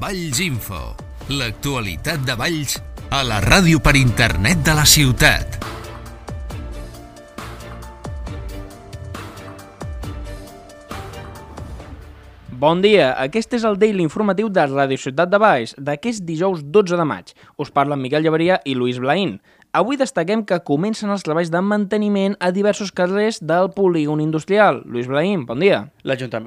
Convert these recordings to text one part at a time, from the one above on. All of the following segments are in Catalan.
Valls Info, l'actualitat de Valls a la ràdio per internet de la ciutat. Bon dia, aquest és el Daily informatiu de Ràdio Ciutat de Valls d'aquest dijous 12 de maig. Us parlen Miquel Llaveria i Lluís Blaín. Avui destaquem que comencen els treballs de manteniment a diversos carrers del polígon industrial. Lluís Blaín, bon dia.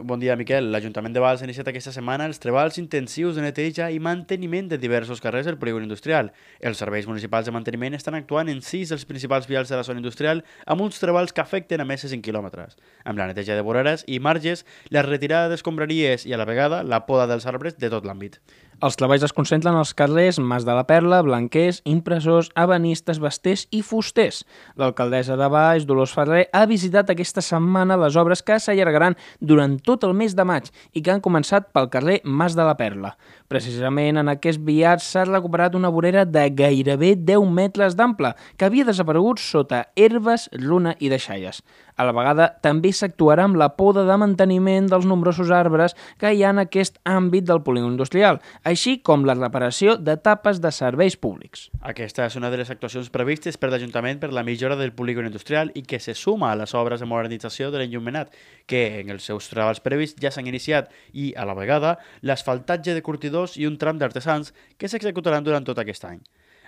Bon dia, Miquel. L'Ajuntament de Valls ha iniciat aquesta setmana els treballs intensius de neteja i manteniment de diversos carrers del polígon industrial. Els serveis municipals de manteniment estan actuant en 6 dels principals vials de la zona industrial amb uns treballs que afecten a més de 5 quilòmetres. Amb la neteja de voreres i marges, la retirada d'escombraries i a la vegada la poda dels arbres de tot l'àmbit. Els treballs es concentren als carrers Mas de la Perla, Blanquers, Impressors, Ebanistes, Basters i Fusters. L'alcaldessa de Valls, Dolors Ferrer, ha visitat aquesta setmana les obres que s'allargaran durant tot el mes de maig i que han començat pel carrer Mas de la Perla. Precisament en aquest viat s'ha recuperat una vorera de gairebé 10 metres d'ample que havia desaparegut sota herbes, runa i deixalles. A la vegada, també s'actuarà amb la poda de manteniment dels nombrosos arbres que hi ha en aquest àmbit del polígon industrial, així com la reparació d'etapes de serveis públics. Aquesta és una de les actuacions previstes per l'Ajuntament per la millora del polígon industrial i que se suma a les obres de modernització de l'enllumenat, que en els seus treballs previs ja s'han iniciat, i, a la vegada, l'asfaltatge de curtidors i un tram d'artesans que s'executaran durant tot aquest any.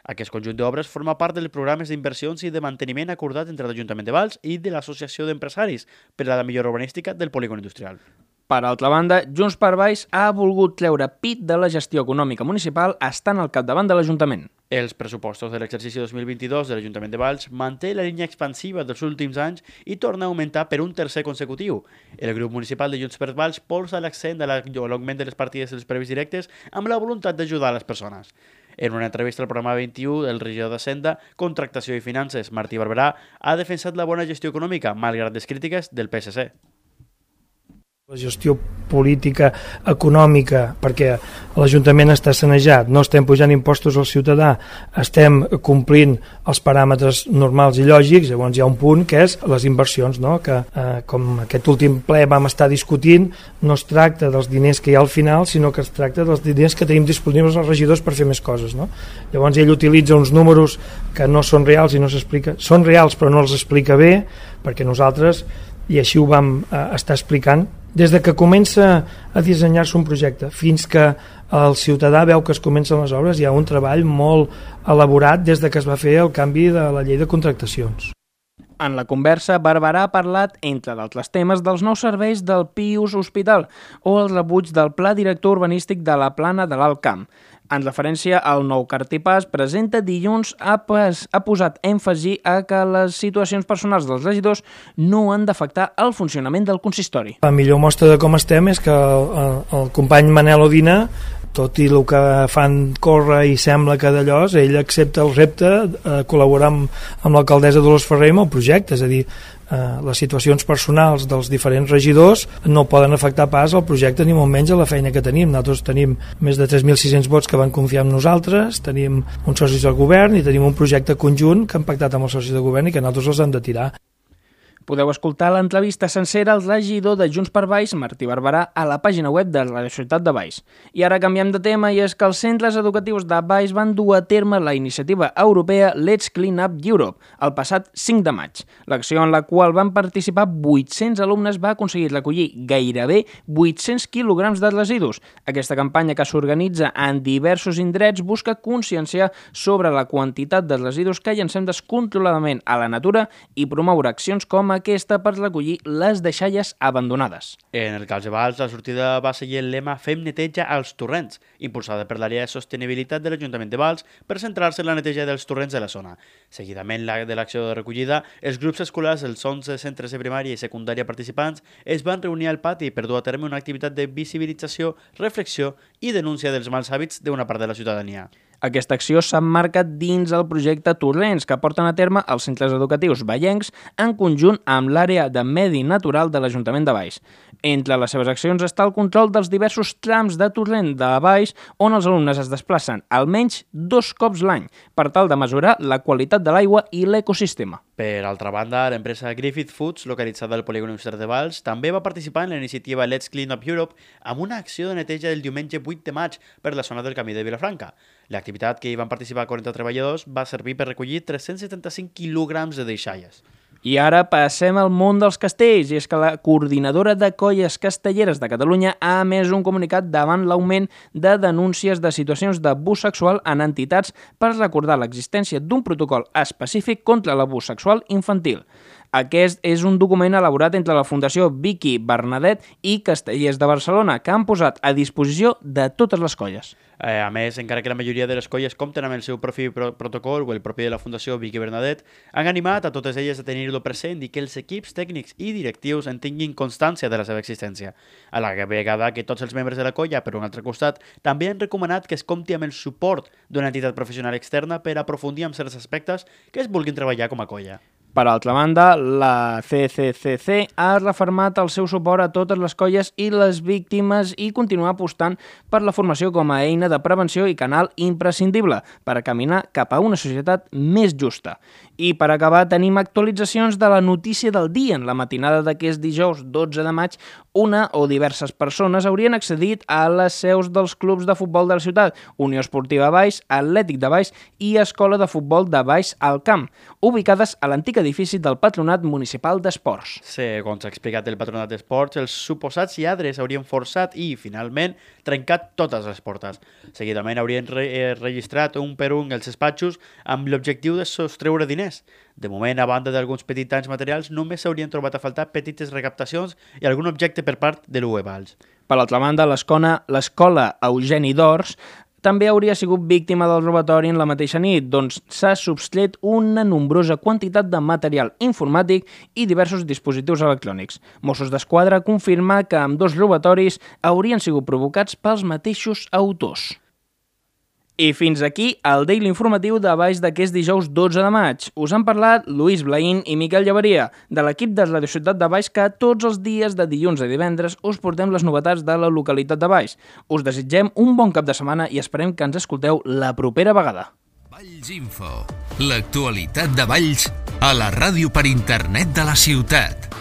Aquest conjunt d'obres forma part dels programes d'inversions i de manteniment acordat entre l'Ajuntament de Valls i de l'Associació d'Empresaris per a la millora urbanística del polígon industrial. Per altra banda, Junts per Valls ha volgut treure pit de la gestió econòmica municipal estant al capdavant de l'Ajuntament. Els pressupostos de l'exercici 2022 de l'Ajuntament de Valls manté la línia expansiva dels últims anys i torna a augmentar per un tercer consecutiu. El grup municipal de Junts per Valls posa l'accent a l'augment de les partides dels previs directes amb la voluntat d'ajudar a les persones. En una entrevista al programa 21, el regidor d'Hisenda, Contractació i Finances, Martí Barberà, ha defensat la bona gestió econòmica, malgrat les crítiques del PSC. La gestió política, econòmica, perquè l'Ajuntament està sanejat, no estem pujant impostos al ciutadà, estem complint els paràmetres normals i lògics, llavors hi ha un punt que és les inversions, no? Que com aquest últim ple vam estar discutint, no es tracta dels diners que hi ha al final, sinó que es tracta dels diners que tenim disponibles els regidors per fer més coses, no? Llavors ell utilitza uns números que no són reals i no s'explica, són reals però no els explica bé, perquè nosaltres, i així ho vam estar explicant, des de que comença a dissenyar-se un projecte fins que el ciutadà veu que es comencen les obres, hi ha un treball molt elaborat des de que es va fer el canvi de la llei de contractacions. En la conversa, Barberà ha parlat, entre d'altres temes, dels nous serveis del Pius Hospital o el rebuig del Pla Director Urbanístic de la Plana de l'Alt Camp. En referència al nou cartipàs, presenta dilluns ha posat èmfasi a que les situacions personals dels regidors no han d'afectar el funcionament del consistori. La millor mostra de com estem és que el company Manel Odina, tot i el que fan córrer i sembla que d'allò, ell accepta el repte de col·laborar amb l'alcaldessa Dolors Ferrer amb el projecte, és a dir, les situacions personals dels diferents regidors no poden afectar pas al projecte ni molt menys a la feina que tenim. Nosaltres tenim més de 3.600 vots que van confiar en nosaltres, tenim uns socis del govern i tenim un projecte conjunt que han pactat amb els socis de govern i que nosaltres els hem de tirar. Podeu escoltar l'entrevista sencera al regidor de Junts per Valls, Martí Barberà, a la pàgina web de la Ciutat de Valls. I ara canviem de tema, i és que els centres educatius de Valls van dur a terme la iniciativa europea Let's Clean Up Europe el passat 5 de maig. L'acció en la qual van participar 800 alumnes va aconseguir recollir gairebé 800 quilograms de residus. Aquesta campanya, que s'organitza en diversos indrets, busca conscienciar sobre la quantitat de residus que llancem descontroladament a la natura i promoure accions com aquesta per recollir les deixalles abandonades. En el cas de Valls, la sortida va seguir el lema Fem neteja als torrents, impulsada per l'àrea de sostenibilitat de l'Ajuntament de Valls per centrar-se en la neteja dels torrents de la zona. Seguidament de l'acció de recollida, els grups escolars dels 11 centres de primària i secundària participants es van reunir al pati per dur a terme una activitat de visibilització, reflexió i denúncia dels mals hàbits d'una part de la ciutadania. Aquesta acció s'emmarca dins el projecte Torrents, que porten a terme els centres educatius vallencs en conjunt amb l'àrea de medi natural de l'Ajuntament de Valls. Entre les seves accions està el control dels diversos trams de torrent de Valls on els alumnes es desplacen almenys 2 cops l'any per tal de mesurar la qualitat de l'aigua i l'ecosistema. Per altra banda, l'empresa Griffith Foods, localitzada al polígon industrial de Valls, també va participar en la iniciativa Let's Clean Up Europe amb una acció de neteja del diumenge 8 de maig per la zona del Camí de Vilafranca. L'activitat, que hi van participar 40 treballadors, va servir per recollir 375 quilograms de deixalles. I ara passem al món dels castells, i és que la Coordinadora de Colles Castelleres de Catalunya ha emès un comunicat davant l'augment de denúncies de situacions d'abús sexual en entitats per recordar l'existència d'un protocol específic contra l'abús sexual infantil. Aquest és un document elaborat entre la Fundació Vicky Bernadet i Castellers de Barcelona, que han posat a disposició de totes les colles. A més, encara que la majoria de les colles compten amb el seu propi protocol o el propi de la Fundació Vicky Bernadet, han animat a totes elles a tenir-lo present i que els equips tècnics i directius en tinguin constància de la seva existència. A la vegada que tots els membres de la colla, per un altre costat, també han recomanat que es compti amb el suport d'una entitat professional externa per aprofundir en certs aspectes que es vulguin treballar com a colla. Per altra banda, la CCCC ha refermat el seu suport a totes les colles i les víctimes i continua apostant per la formació com a eina de prevenció i canal imprescindible per a caminar cap a una societat més justa. I per acabar, tenim actualitzacions de la notícia del dia. En la matinada d'aquest dijous 12 de maig, una o diverses persones haurien accedit a les seus dels clubs de futbol de la ciutat, Unió Esportiva Valls, Atlètic de Valls i Escola de Futbol de Valls al Camp, ubicades a l'antic edifici del Patronat Municipal d'Esports. Segons ha explicat el Patronat d'Esports, els suposats lladres haurien forçat i, finalment, trencat totes les portes. Seguidament haurien registrat un per un els despatxos amb l'objectiu de sostreure diners. De moment, a banda d'alguns petits danys materials, només s'haurien trobat a faltar petites recaptacions i algun objecte per part de l'UE Valls. Per altra banda, l'escola Eugeni d'Ors també hauria sigut víctima del robatori en la mateixa nit, doncs s'ha subtret una nombrosa quantitat de material informàtic i diversos dispositius electrònics. Mossos d'Esquadra confirma que ambdós robatoris haurien sigut provocats pels mateixos autors. I fins aquí el Daily Informatiu de Valls d'aquest dijous 12 de maig. Us han parlat Lluís Blaín i Miquel Llaveria, de l'equip de Radio Ciutat de Valls, que tots els dies de dilluns a divendres us portem les novetats de la localitat de Valls. Us desitgem un bon cap de setmana i esperem que ens escolteu la propera vegada. Valls Info, l'actualitat de Valls a la ràdio per internet de la ciutat.